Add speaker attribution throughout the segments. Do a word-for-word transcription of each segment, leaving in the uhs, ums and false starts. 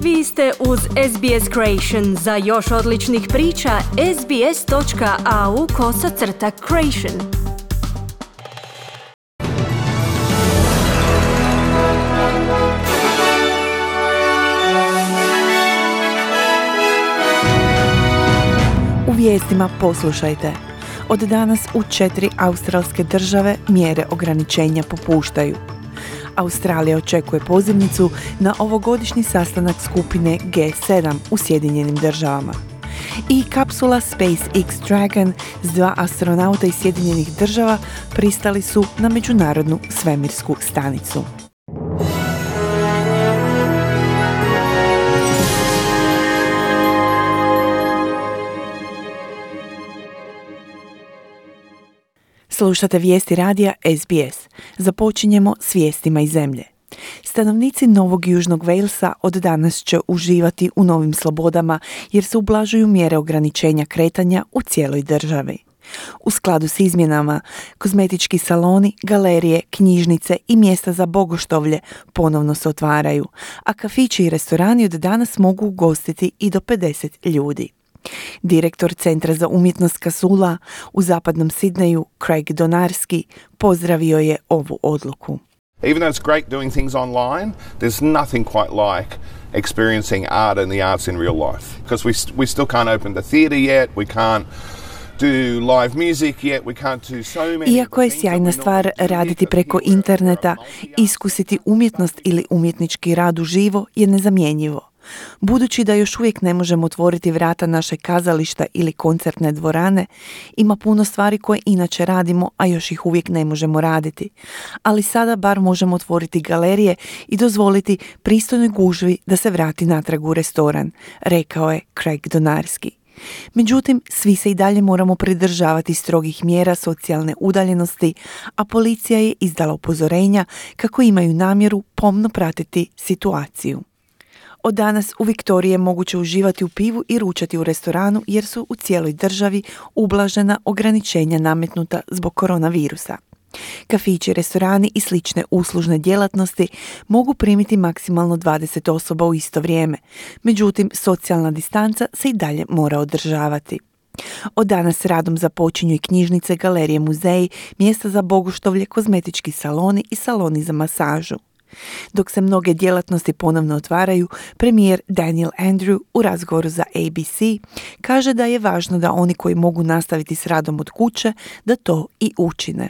Speaker 1: Vi ste uz S B S Creation. Za još odličnih priča, sbs.au kosacrta creation.
Speaker 2: U vijestima poslušajte. Od danas u četiri australske države mjere ograničenja popuštaju. Australija očekuje pozivnicu na ovogodišnji sastanak skupine G sedam u Sjedinjenim državama. I kapsula SpaceX Dragon s dva astronauta iz Sjedinjenih država pristali su na međunarodnu svemirsku stanicu. Slušate vijesti radija S B S. Započinjemo s vijestima iz zemlje. Stanovnici Novog Južnog Walesa od danas će uživati u novim slobodama jer se ublažuju mjere ograničenja kretanja u cijeloj državi. U skladu s izmjenama, kozmetički saloni, galerije, knjižnice i mjesta za bogoštovlje ponovno se otvaraju, a kafići i restorani od danas mogu ugostiti i do pedeset ljudi. Direktor Centra za umjetnost Casula u zapadnom Sidneju, Craig Donarski, pozdravio je ovu odluku.
Speaker 3: Even though it's great doing things online, there's nothing quite like experiencing art and the arts in real life. Because we, we still can't open the theatre yet, we can't do live music yet, we can't do so many.
Speaker 2: Iako je sjajna stvar raditi preko interneta, iskusiti umjetnost ili umjetnički rad uživo je nezamjenjivo. Budući da još uvijek ne možemo otvoriti vrata našeg kazališta ili koncertne dvorane, ima puno stvari koje inače radimo, a još ih uvijek ne možemo raditi. Ali sada bar možemo otvoriti galerije i dozvoliti pristojnoj gužvi da se vrati natrag u restoran, rekao je Craig Donarski. Međutim, svi se i dalje moramo pridržavati strogih mjera socijalne udaljenosti, a policija je izdala upozorenja kako imaju namjeru pomno pratiti situaciju. Od danas u Viktoriji je moguće uživati u pivu i ručati u restoranu jer su u cijeloj državi ublažena ograničenja nametnuta zbog koronavirusa. Kafići, restorani i slične uslužne djelatnosti mogu primiti maksimalno dvadeset osoba u isto vrijeme, međutim socijalna distanca se i dalje mora održavati. Od danas radom započinju i knjižnice, galerije, muzeji, mjesta za bogoštovlje, kozmetički saloni i saloni za masažu. Dok se mnoge djelatnosti ponovno otvaraju, premijer Daniel Andrew u razgovoru za A B C kaže da je važno da oni koji mogu nastaviti s radom od kuće, da to i učine.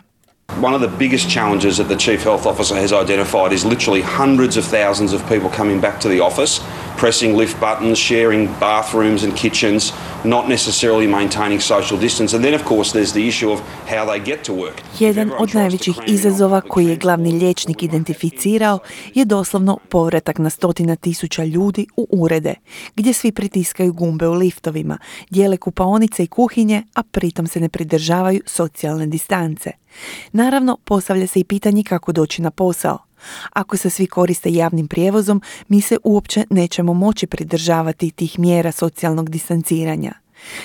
Speaker 4: One of the biggest challenges that the Chief Health Officer has identified is literally hundreds of thousands of people coming back to the office, pressing lift buttons, sharing bathrooms and kitchens, not necessarily maintaining social distance. And then, of course, there's the issue of how they get to work.
Speaker 2: Jedan od najvećih izazova koji je glavni liječnik identificirao je doslovno povratak na stotina tisuća ljudi u urede, gdje svi pritiskaju gumbe u liftovima, dijele kupaonice i kuhinje, a pritom se ne pridržavaju socijalne distance. Naravno, postavlja se i pitanje kako doći na posao. Ako se svi koriste javnim prijevozom, mi se uopće nećemo moći pridržavati tih mjera socijalnog distanciranja.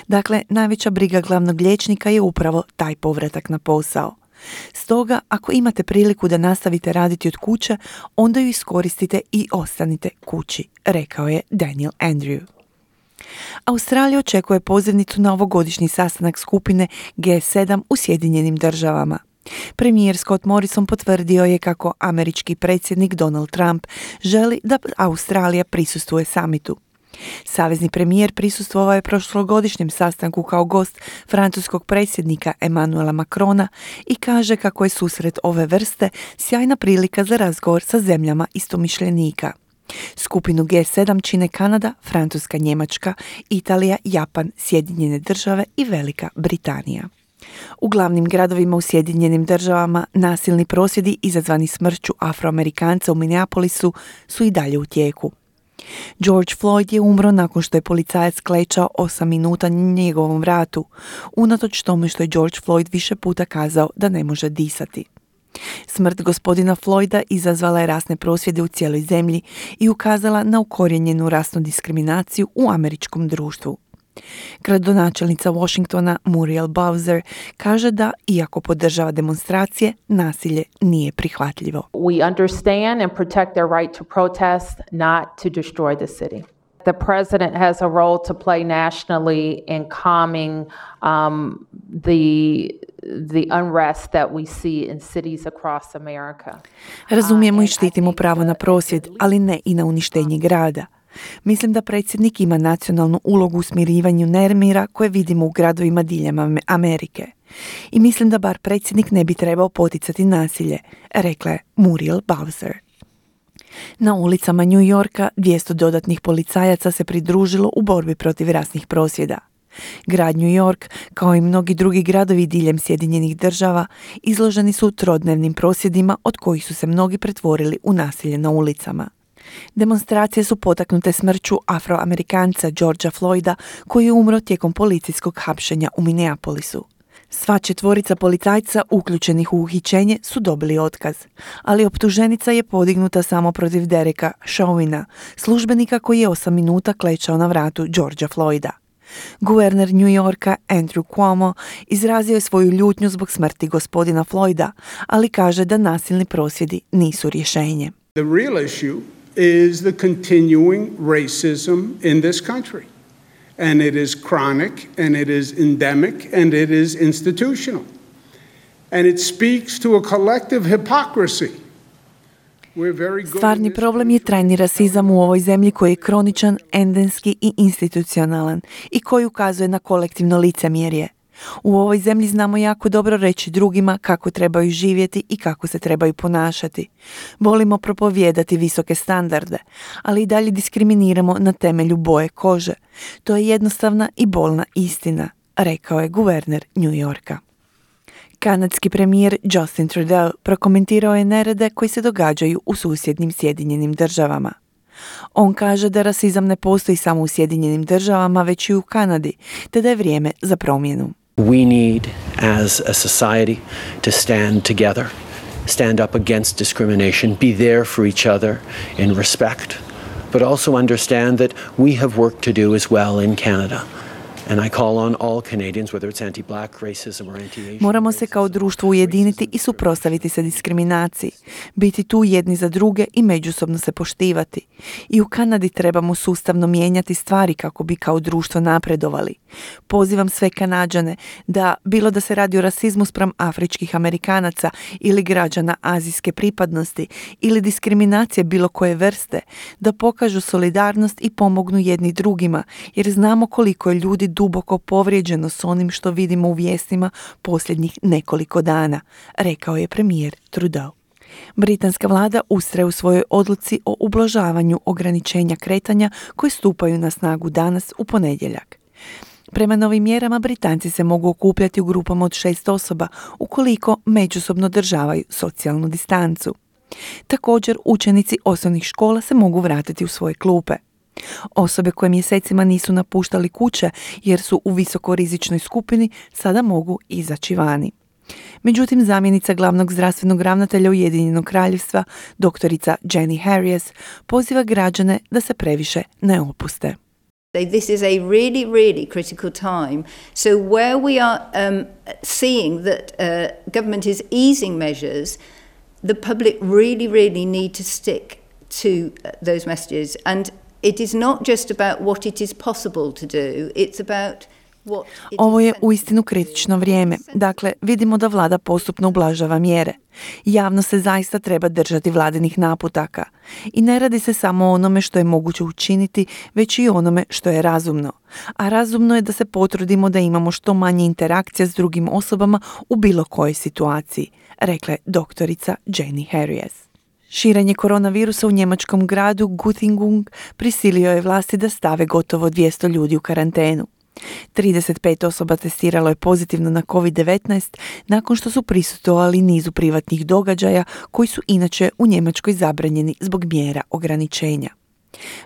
Speaker 2: Dakle, najveća briga glavnog liječnika je upravo taj povratak na posao. Stoga, ako imate priliku da nastavite raditi od kuće, onda ju iskoristite i ostanite kući, rekao je Daniel Andrew. Australija očekuje pozivnicu na ovogodišnji sastanak skupine G sedam u Sjedinjenim državama. Premijer Scott Morrison potvrdio je kako američki predsjednik Donald Trump želi da Australija prisustvuje samitu. Savezni premijer prisustvovao je prošlogodišnjem sastanku kao gost francuskog predsjednika Emmanuela Macrona i kaže kako je susret ove vrste sjajna prilika za razgovor sa zemljama istomišljenika. Skupinu G sedam čine Kanada, Francuska, Njemačka, Italija, Japan, Sjedinjene države i Velika Britanija. U glavnim gradovima u Sjedinjenim državama nasilni prosvjedi izazvani smrću Afroamerikanca u Minneapolisu su i dalje u tijeku. George Floyd je umro nakon što je policajac klečao osam minuta na njegovom vratu, unatoč tome što je George Floyd više puta kazao da ne može disati. Smrt gospodina Floyda izazvala je rasne prosvjede u cijeloj zemlji i ukazala na ukorijenjenu rasnu diskriminaciju u američkom društvu. Gradonačelnica Washingtona Muriel Bowser kaže da, iako podržava demonstracije, nasilje nije prihvatljivo.
Speaker 5: We understand and protect their right to protest, not to destroy the city. The president has a role to play nationally in calming um, the the unrest that we see in cities across America.
Speaker 2: Razumijemo i štitimo pravo na prosvjed, ali ne i na uništenje grada. Mislim da predsjednik ima nacionalnu ulogu u smirivanju nemira koje vidimo u gradovima diljem Amerike. I mislim da bar predsjednik ne bi trebao poticati nasilje, rekla je Muriel Bowser. Na ulicama New Yorka dvjesto dodatnih policajaca se pridružilo u borbi protiv rasnih prosvjeda. Grad New York, kao i mnogi drugi gradovi diljem Sjedinjenih država, izloženi su trodnevnim prosvjedima od kojih su se mnogi pretvorili u nasilje na ulicama. Demonstracije su potaknute smrću Afroamerikanca Georgea Floyda, koji je umro tijekom policijskog hapšenja u Minneapolisu. Sva četvorica policajca uključenih u uhićenje su dobili otkaz, ali optuženica je podignuta samo protiv Dereka Chauvina, službenika koji je osam minuta klečao na vratu Georgea Floyda. Guverner New Yorka Andrew Cuomo izrazio je svoju ljutnju zbog smrti gospodina Floyda, ali kaže da nasilni prosvjedi nisu rješenje.
Speaker 6: The real issue is the continuing racism in this country. And it is chronic, and it is endemic, and it is institutional. And it speaks to a collective hypocrisy.
Speaker 2: Stvarni problem je trajni rasizam u ovoj zemlji koji je kroničan, endemski i institucionalan i koji ukazuje na kolektivno licemjerje. U ovoj zemlji znamo jako dobro reći drugima kako trebaju živjeti i kako se trebaju ponašati. Volimo propovijedati visoke standarde, ali i dalje diskriminiramo na temelju boje kože. To je jednostavna i bolna istina, rekao je guverner New Yorka. Kanadski premijer Justin Trudeau prokomentirao je nerede koji se događaju u susjednim Sjedinjenim državama. On kaže da rasizam ne postoji samo u Sjedinjenim državama, već i u Kanadi, te da je vrijeme za promjenu.
Speaker 7: We need, as a society, to stand together, stand up against discrimination, be there for each other in respect, but also understand that we have work to do as well in Canada. And I call on all Canadians, whether it's anti-black racism or anti-Asian.
Speaker 2: Moramo se kao društvo ujediniti i suprotstaviti se diskriminaciji, biti tu jedni za druge i međusobno se poštivati. I u Kanadi trebamo sustavno mijenjati stvari kako bi kao društvo napredovali. Pozivam sve Kanađane da, bilo da se radi o rasizmu spram afričkih Amerikanaca ili građana azijske pripadnosti ili diskriminacije bilo koje vrste, da pokažu solidarnost i pomognu jedni drugima, jer znamo koliko je ljudi duboko povrijeđeno s onim što vidimo u vijestima posljednjih nekoliko dana, rekao je premijer Trudeau. Britanska vlada ustraje u svojoj odluci o ublažavanju ograničenja kretanja koje stupaju na snagu danas u ponedjeljak. Prema novim mjerama Britanci se mogu okupljati u grupama od šest osoba ukoliko međusobno državaju socijalnu distancu. Također učenici osnovnih škola se mogu vratiti u svoje klupe. Osobe koje mjesecima nisu napuštali kuće jer su u visokorizičnoj skupini sada mogu izaći vani. Međutim, zamjenica glavnog zdravstvenog ravnatelja Ujedinjenog kraljevstva, doktorica Jenny Harries, poziva građane da se previše ne opuste.
Speaker 8: This is a really, really critical time. So where we are um, seeing that uh, government is easing measures, the public really, really need to stick to uh, those messages. And it is not just about what it is possible to do, it's about what it
Speaker 2: Ovo je
Speaker 8: is
Speaker 2: uistinu kritično vrijeme. Dakle, vidimo da vlada postupno ublažava mjere. Javno se zaista treba držati vladinih naputaka. I ne radi se samo o onome što je moguće učiniti, već i onome što je razumno. A razumno je da se potrudimo da imamo što manje interakcija s drugim osobama u bilo kojoj situaciji, rekla je doktorica Jenny Harries. Širenje koronavirusa u njemačkom gradu Göttingen prisilio je vlasti da stave gotovo dvjesto ljudi u karantenu. trideset pet osoba testiralo je pozitivno na kovid devetnaest nakon što su prisustvovali nizu privatnih događaja koji su inače u Njemačkoj zabranjeni zbog mjera ograničenja.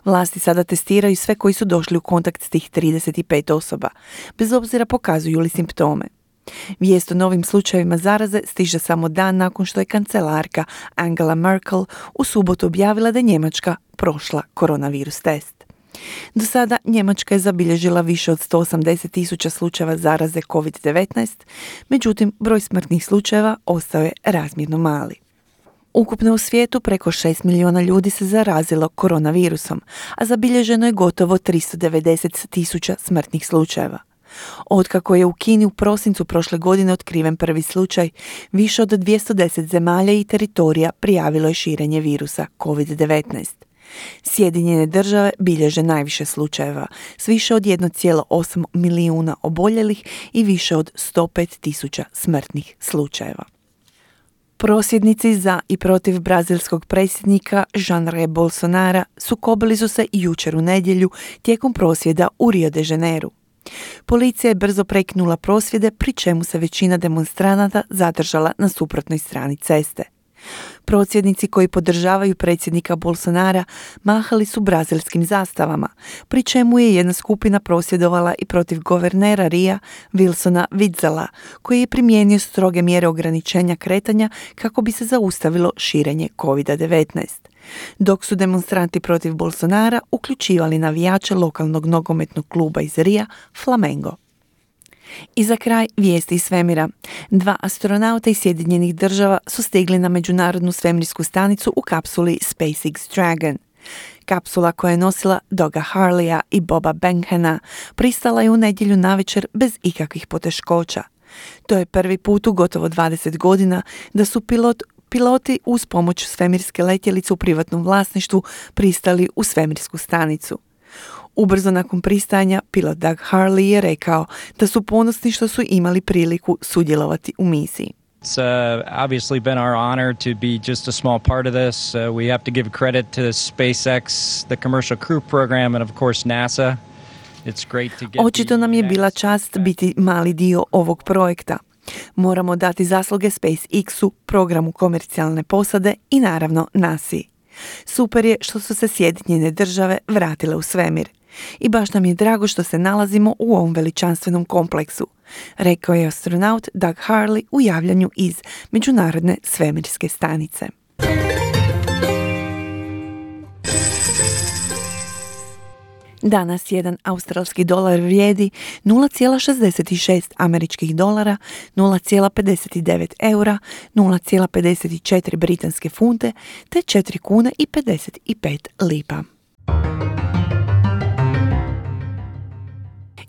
Speaker 2: Vlasti sada testiraju sve koji su došli u kontakt s tih trideset pet osoba, bez obzira pokazuju li simptome. Vijest o novim slučajevima zaraze stiže samo dan nakon što je kancelarka Angela Merkel u subotu objavila da je Njemačka prošla koronavirus test. Do sada Njemačka je zabilježila više od sto osamdeset tisuća slučajeva zaraze kovid devetnaest, međutim broj smrtnih slučajeva ostao je razmjerno mali. Ukupno u svijetu preko šest milijuna ljudi se zarazilo koronavirusom, a zabilježeno je gotovo tristo devedeset tisuća smrtnih slučajeva. Otkako je u Kini u prosincu prošle godine otkriven prvi slučaj, više od dvjesto deset zemalja i teritorija prijavilo je širenje virusa kovid devetnaest. Sjedinjene države bilježe najviše slučajeva, s više od jedan zarez osam milijuna oboljelih i više od sto pet tisuća smrtnih slučajeva. Prosvjednici za i protiv brazilskog predsjednika Jaira Bolsonara sukobili su se jučer u nedjelju tijekom prosvjeda u Rio de Janeiru. Policija je brzo prekinula prosvjede, pri čemu se većina demonstranata zadržala na suprotnoj strani ceste. Prosvjednici koji podržavaju predsjednika Bolsonara mahali su brazilskim zastavama, pri čemu je jedna skupina prosvjedovala i protiv guvernera Ria Wilsona Wittzela, koji je primijenio stroge mjere ograničenja kretanja kako bi se zaustavilo širenje kovid devetnaest. Dok su demonstranti protiv Bolsonara uključivali navijače lokalnog nogometnog kluba iz Ria, Flamengo. I za kraj vijesti iz svemira. Dva astronauta iz Sjedinjenih država su stigli na međunarodnu svemirsku stanicu u kapsuli SpaceX Dragon. Kapsula koja je nosila Doga Harleya i Boba Benghena pristala je u nedjelju navečer bez ikakvih poteškoća. To je prvi put u gotovo dvadeset godina da su pilot Piloti uz pomoć svemirske letjelice u privatnom vlasništvu pristali u svemirsku stanicu. Ubrzo nakon pristajanja, pilot Doug Harley je rekao da su ponosni što su imali priliku sudjelovati u misiji.
Speaker 9: It's uh, obviously been our honor to be just a small part of this. Uh, we have to give credit to SpaceX, the Commercial Crew Program, and of course NASA. It's great to get
Speaker 2: Očito nam je bila čast biti mali dio ovog projekta. Moramo dati zasluge SpaceX-u, programu komercijalne posade i naravno nasi. Super je što su se Sjedinjene države vratile u svemir. I baš nam je drago što se nalazimo u ovom veličanstvenom kompleksu, rekao je astronaut Doug Harley u javljanju iz Međunarodne svemirske stanice. Danas jedan australski dolar vrijedi nula zarez šezdeset šest američkih dolara, nula zarez pedeset devet eura, nula zarez pedeset četiri britanske funte te četiri kune i pedeset pet lipa.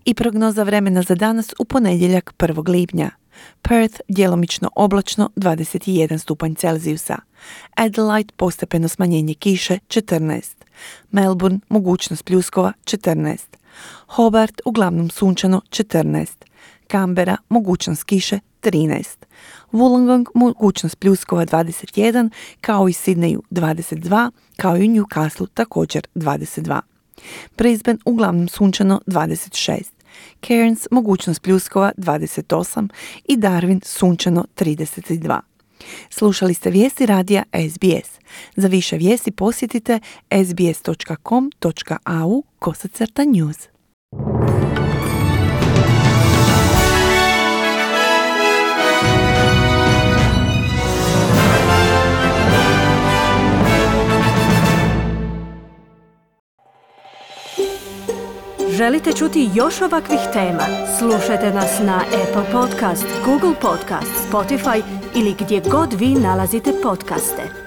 Speaker 2: I prognoza vremena za danas u ponedjeljak prvog lipnja. Perth djelomično oblačno dvadeset jedan stupanj Celzijusa. Adelaide postepeno smanjenje kiše četrnaest. Melbourne mogućnost pljuskova četrnaest. Hobart uglavnom sunčano četrnaest. Canberra mogućnost kiše trinaest. Wollongong mogućnost pljuskova dvadeset jedan, kao i Sydneyu dvadeset dva, kao i Newcastle također dvadeset dva. Brisbane uglavnom sunčano dvadeset šest. Cairns mogućnost pljuskova dvadeset osam i Darwin sunčano trideset dva. Slušali ste vijesti radija S B S. Za više vijesti posjetite s b s dot com dot a u kosacrta news.
Speaker 1: Želite čuti još ovakvih tema? Slušajte nas na Apple Podcast, Google Podcast, Spotify ili gdje god vi nalazite podcaste.